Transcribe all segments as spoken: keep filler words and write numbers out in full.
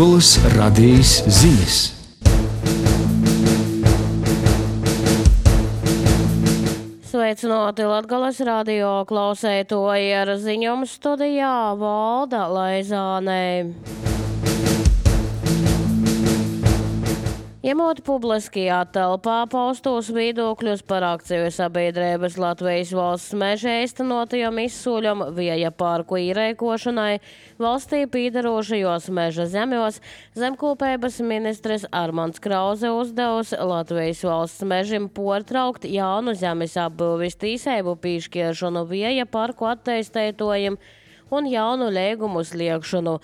Latgolas radijas ziņas. Sveicināti Latgolas radio klausētoji, ar ziņām studijā Valda Laizāne. Ņemot publiskajā telpā paustos viedokļus par akciju sabiedrības Latvijas valsts meža īstenotajam izsūļam Vieja parku īrēkošanai valstī pīdarošajos meža zemjos, zemkopības ministrs Armands Krauze uzdevusi Latvijas valsts mežim portraukt jaunu zemes apbūvis tīseibu pīškiešanu Vieja parku atteistētojiem un jaunu līgumu sliekšanu,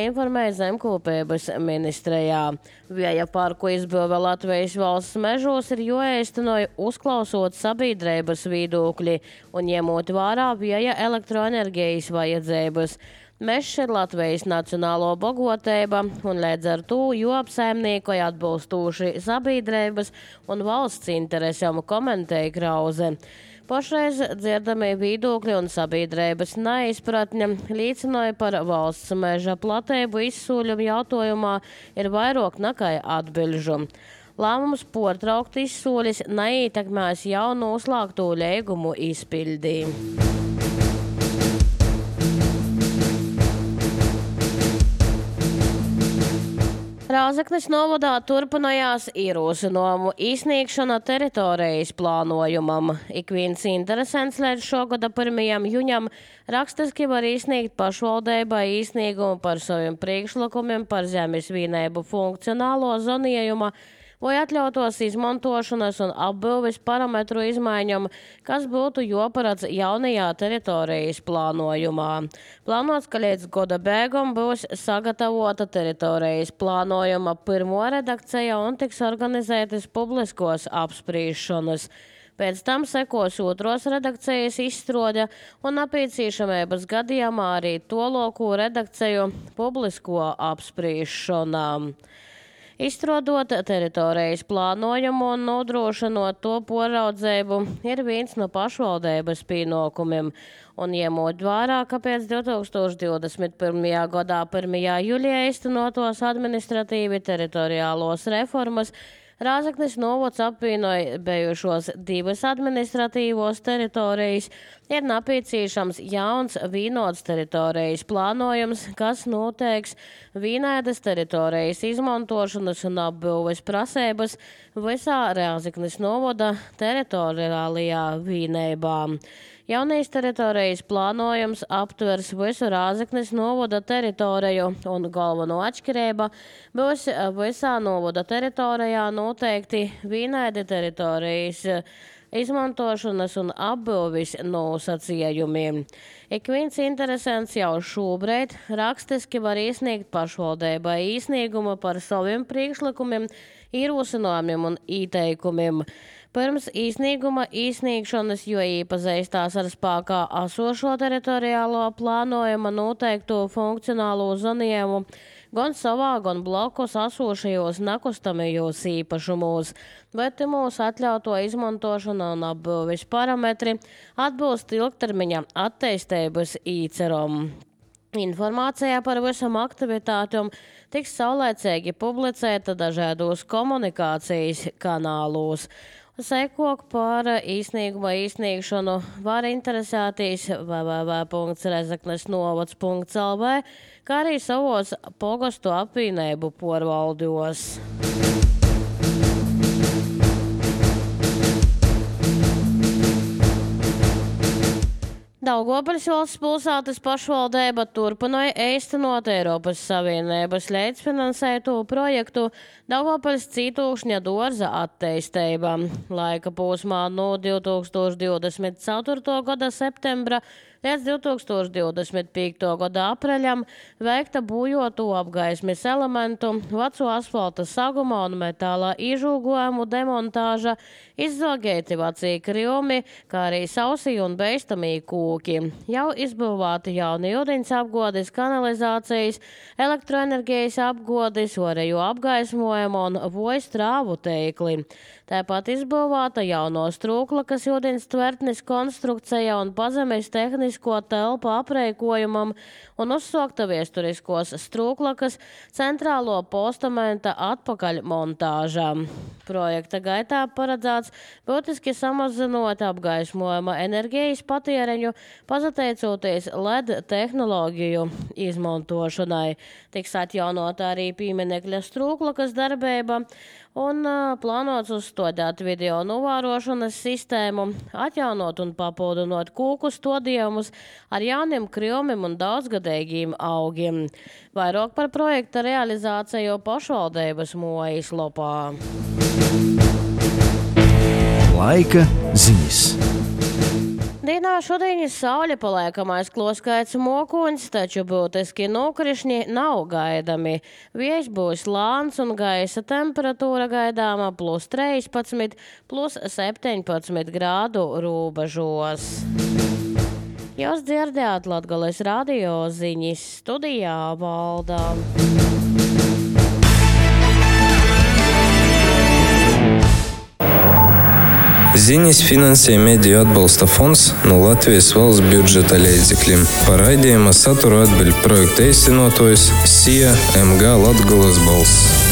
informēja zemkopības ministrijā. Vieja parku izbūve Latvijas valsts mežos ir jāīstenoja uzklausot sabiedrības viedokļi un ņemot vērā vieja elektroenerģijas vajadzības. Mežs ir Latvijas nacionālo bagoteiba un līdz ar to jāapsaimniekoja atbilstoši sabiedrības un valsts interesēm, komentēja Krauze. Pašreiz dzirdamie viedokļi un sabiedrības neizpratņa liecināja par valsts meža platību izsūļumu jautājumā ir vairāk nekā atbilžu. Lēmums portraukt izsūļus neietekmēs jau noslēgto līgumu izpildi. Rāzaknis novadā turpinājās ierosinājumu izsniegšana teritorijas plānojumam. Ik viens interesants līdz šogada pirmajam juņam rakstiski var izsniegt pašvaldībai izsniegumu par saviem priekšlikumiem par zemes vienību funkcionālo zonējuma vai atļautos izmantošanas un apbūves parametru izmaiņam, kas būtu jāparedz jaunajā teritorijas plānojumā. Plānots, ka līdz gada beigām būs sagatavota teritorijas plānojuma pirmo redakcija un tiks organizētas publiskos apspriešanas. Pēc tam sekos otros redakcijas izstrode un nepieciešamības gadījumā arī toloko redakciju publisko apspriešanām. Izstrādot teritorijas plānojumu un nodrošinot to poraudzību ir viens no pašvaldības pienākumiem. Un ņemot vērā, ka pēc divi tūkstoši divdesmit pirmajā gadā pirmajā jūlijā īstenotos administratīvi teritoriālos reformas, Rāzaknis novads apvienoja bijušos divas administratīvos teritorijas, ir nepieciešams jauns vienots teritorijas plānojums, kas noteiks vienādas teritorijas izmantošanas un apbūves prasības visā Rāzaknis novada teritoriālajā vienībā. Jaunais teritorijas plānojums aptvers visu Rāzaknis novada teritoriju un galveno atšķirība būs visā novada teritorijā noteikti vienādi teritorijas izmantošanas un apbūves nosacījumiem. Ik viens interesants jau šobrīd rakstiski var iesniegt pašvaldībai iesniegumu par saviem priekšlikumiem, ierosinājumiem un ieteikumiem. Pirms iesnieguma iesniegšanas, jo iepazīstās ar spēkā esošo teritoriālo plānojuma noteikto funkcionālo zonējumu gan savā, gan blakus esošajos nekustamajos īpašumos, bet mūsu atļauto izmantošana un apbūves parametri atbilst ilgtermiņa attīstības īceram. Informācijā par visam aktivitātiem tiks saulēcīgi publicēta dažādos komunikācijas kanālos. Sekok par īsnieguma īsniegšanu var interesēties w w w punkts rezeknes novads punkts l v, kā arī savos pogastu apvienību porvaldos. Daugavpils valsts pilsētas pašvaldība turpināja īstenot Eiropas Savienības līdzfinansēto projektu Daugavpils Cītūkšņa dārza attīstība. Laika posmā no divi tūkstoši divdesmit ceturtā gada septembra līdz divi tūkstoši divdesmit piekto gada apreļam veikta būjoto apgaismes elementu, veco asfalta saguma un metāla iežūgojumu demontāža, izzogēti vecie krījumi, kā arī sausī un beistamī kūki. Jau izbūvēti jauni ūdens apgādes, kanalizācijas, elektroenerģijas apgādes, orēju apgaismojumu un vojas trāvu tīkli. Tāpat izbūvēta jauno Strūklakas ūdens tvertnes konstrukcija un pazemes tehnisko telpu apreikojumam un uzsokta viesturiskos Strūklakas centrālo postamenta atpakaļmontāžā. Projekta gaitā paredzēts būtiski samazinot apgaismojuma enerģijas patēriņu, pateicoties L E D tehnoloģiju izmantošanai. Tiks atjaunota arī pieminekļa Strūklakas darbība un uh, plānots uzstādīt video novērošanas sistēmu, atjaunot un papildinot kūku stādījumus ar jauniem krūmiem un daudzgadīgiem augiem. Vairāk par projekta realizāciju pašvaldības mājaslapā. Laika ziņas. Dienā šodien saule paliekamais kloskaits mokuņs, taču būtiski nokrišņi nav gaidami. Vējš būs lāns un gaisa temperatūra gaidāma plus trīspadsmit, plus septiņpadsmit grādu robežos. Jūs dzirdējāt Latgales radio ziņas, studijā Valda. Ziņas finansē Mediju atbalsta fonds no Latvijas valsts budžeta līdzekļiem. Par raidījuma saturu atbild projekta īstenotājs S I A M G Latgales balss.